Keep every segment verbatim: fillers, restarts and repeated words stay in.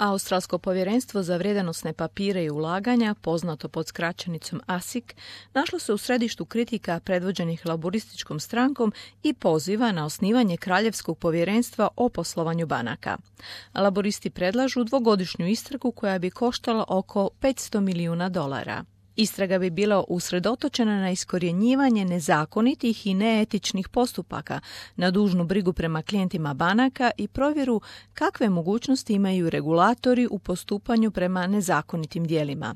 Australsko povjerenstvo za vrijednosne papire i ulaganja, poznato pod skraćenicom A S I C, našlo se u središtu kritika predvođenih laborističkom strankom i poziva na osnivanje Kraljevskog povjerenstva o poslovanju banaka. Laboristi predlažu dvogodišnju istragu koja bi koštala oko petsto milijuna dolara. Istraga bi bila usredotočena na iskorjenjivanje nezakonitih i neetičnih postupaka, na dužnu brigu prema klijentima banaka i provjeru kakve mogućnosti imaju regulatori u postupanju prema nezakonitim djelima.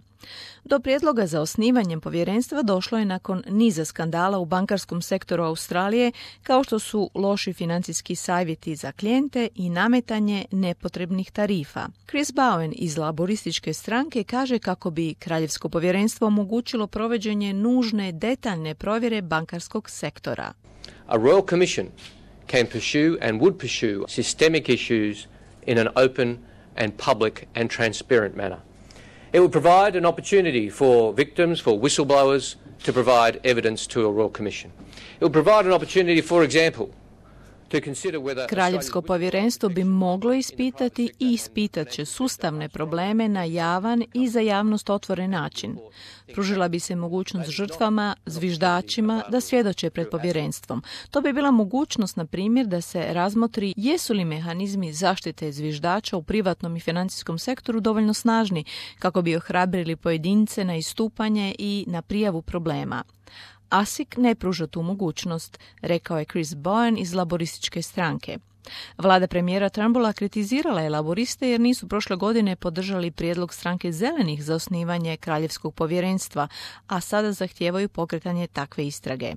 Do prijedloga za osnivanjem povjerenstva došlo je nakon niza skandala u bankarskom sektoru Australije, kao što su loši financijski savjeti za klijente i nametanje nepotrebnih tarifa. Chris Bowen iz laborističke stranke kaže kako bi Kraljevsko povjerenstvo omogućilo provođenje nužne detaljne provjere bankarskog sektora. A Royal Commission can pursue and would pursue systemic issues in an open and public and transparent manner. It would provide an opportunity for victims, for whistleblowers, to provide evidence to a Royal Commission. It would provide an opportunity, for example, to consider whether... Kraljevsko povjerenstvo bi moglo ispitati i ispitat će sustavne probleme na javan i za javnost otvoren način. Pružila bi se mogućnost žrtvama, zviždačima da svjedoče pred povjerenstvom. To bi bila mogućnost, na primjer, da se razmotri jesu li mehanizmi zaštite zviždača u privatnom i financijskom sektoru dovoljno snažni kako bi ohrabrili pojedince na istupanje i na prijavu problema. A S I C ne pruža tu mogućnost, rekao je Chris Bowen iz laborističke stranke. Vlada premijera Turnbulla kritizirala je laboriste jer nisu prošle godine podržali prijedlog stranke zelenih za osnivanje Kraljevskog povjerenstva, a sada zahtijevaju pokretanje takve istrage.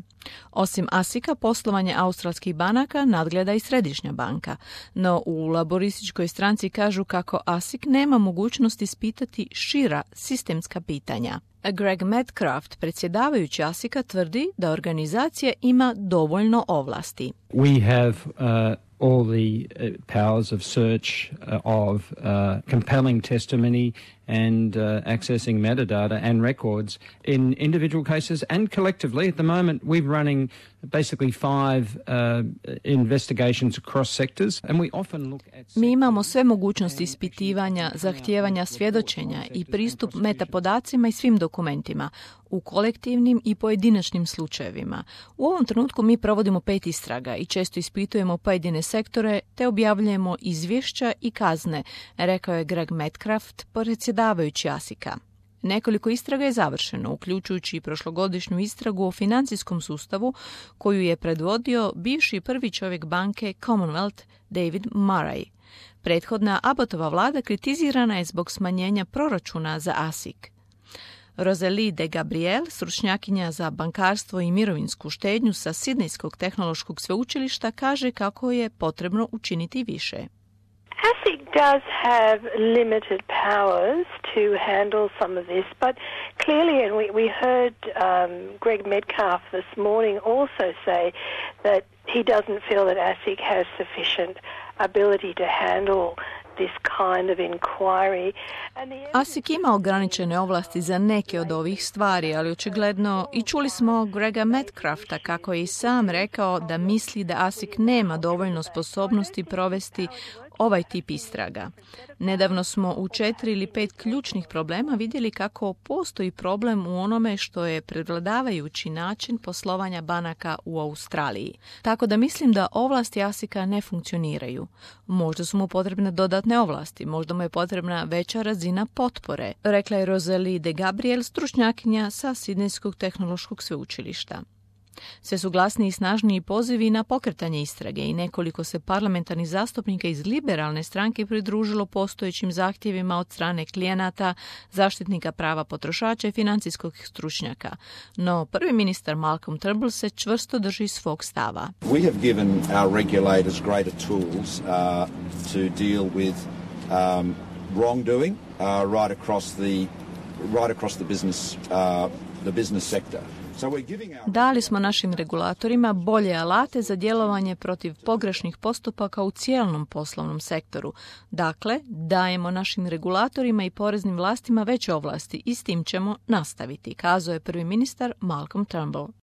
Osim A S I C-a, poslovanje australskih banaka nadgleda i Središnja banka, no u laborističkoj stranci kažu kako A S I C nema mogućnost ispitati šira sistemska pitanja. Greg Medcraft, predsjedavajući A S I C-a, tvrdi da organizacija ima dovoljno ovlasti. We have uh... all the uh, powers of search, uh, of uh, compelling testimony and uh, accessing metadata and records in individual cases and collectively. At the moment, we're running basically five uh, investigations across sectors and we often look at... Mi imamo sve mogućnosti ispitivanja, zahtijevanja svjedočenja i pristup metapodacima i svim dokumentima u kolektivnim i pojedinačnim slučajevima. U ovom trenutku mi provodimo pet istraga i često ispitujemo pojedine sektore te objavljujemo izvješća i kazne, rekao je Greg Medcraft, predsjedavajući A S I C-a. Nekoliko istraga je završeno, uključujući i prošlogodišnju istragu o financijskom sustavu koju je predvodio bivši prvi čovjek banke Commonwealth David Murray. Prethodna Abbottova vlada kritizirana je zbog smanjenja proračuna za A S I C. Rosalie de Gabriel, stručnjakinja za bankarstvo i mirovinsku štednju sa Sidnejskog tehnološkog sveučilišta, kaže kako je potrebno učiniti više. A S I C does have limited powers to handle some of this, but clearly, and we, we heard um, Greg Metcalf this morning also say that he doesn't feel that A S I C has sufficient ability to handle this kind of inquiry. A S I C ima ograničene ovlasti za neke od ovih stvari, ali očigledno i čuli smo Grega Medcrafta kako je i sam rekao da misli da A S I C nema dovoljno sposobnosti provesti ovaj tip istraga. Nedavno smo u četiri ili pet ključnih problema vidjeli kako postoji problem u onome što je prevladavajući način poslovanja banaka u Australiji. Tako da mislim da ovlasti A S I C-a ne funkcioniraju. Možda su mu potrebne dodatne ovlasti, možda mu je potrebna veća razina potpore, rekla je Rosalie de Gabriel, stručnjakinja sa Sidnejskog tehnološkog sveučilišta. Sve su glasniji i snažniji pozivi na pokretanje istrage i nekoliko se parlamentarnih zastupnika iz liberalne stranke pridružilo postojećim zahtjevima od strane klijenata, zaštitnika prava potrošača i financijskog stručnjaka. No prvi ministar Malcolm Turnbull se čvrsto drži svog stava. We have given our regulators greater tools uh, to deal with um, wrongdoing uh, right across the right across the business uh, the business sector. Dali smo našim regulatorima bolje alate za djelovanje protiv pogrešnih postupaka u cijelom poslovnom sektoru. Dakle, dajemo našim regulatorima i poreznim vlastima veće ovlasti i s tim ćemo nastaviti, kazao je prvi ministar Malcolm Turnbull.